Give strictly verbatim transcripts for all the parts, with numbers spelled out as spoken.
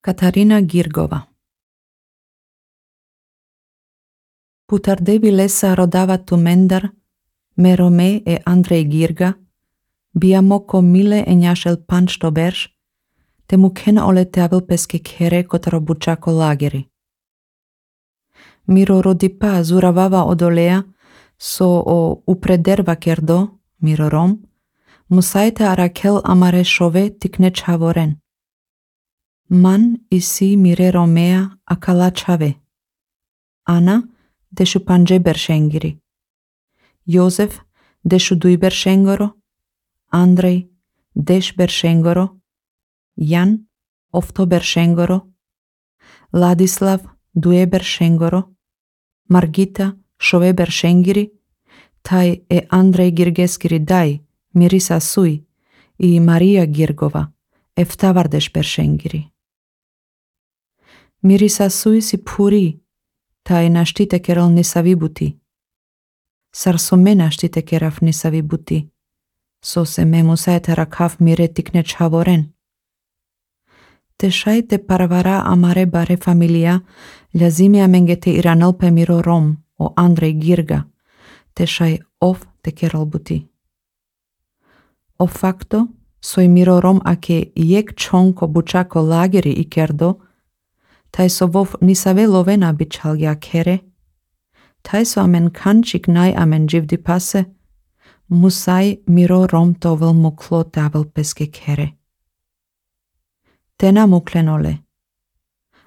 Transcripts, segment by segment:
Katarina Girgova. Putar devi lesa rodava tu mendar, merome e Andrej Girga, biamoko mile e njashel panč to berš, te mu ken ole teavil peske kere kotaro bučako lageri. Miro rodipa zuravava odolea, so o uprederva kerdo, miro rom, musaite arakel amare šove tikne čavoren. Man isi mire romea akala čave. Ana dešu panđe beršengiri. Jozef dešu duj beršengoro. Andrej deš beršengoro. Jan ofto beršengoro. Ladislav duje beršengoro. Margita šove beršengiri. Taj e Andrej Girgeskiri daj mirisa suj i Marija Girgova eftavardeš beršengiri. Mirisa suj si puri, taj naštite kerol nisavi buti. Sar so me naštite keraf nisavi buti, so se me musaete rakaf mire tikne čavoren. Te šajte parvara amare bare familia, ljazimia mengete iranelpe miro rom o Andrej Girga, te šaj of te kerol buti. O facto, soj miro rom ake jek čonko bučako lageri i kerdo, taj so vov nisave lovena bičalja kere, taj so amen kančik naj amen živdi pase, musaj miro rom tovel muklo tavel peske kere. Tena muklenole,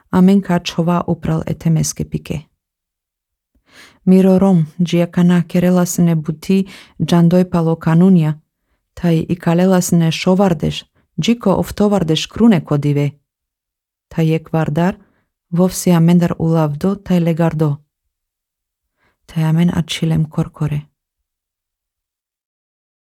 amen kačova upral etemeske pike. Miro rom džiakana kerelasne buti džandoj palo kanunja, taj i kalelasne šovardeš, džiko oftovardeš krune kodive. Taj je kvardar, vovsi amendar ulavdo taj legardo. Taj amen achilem korkore.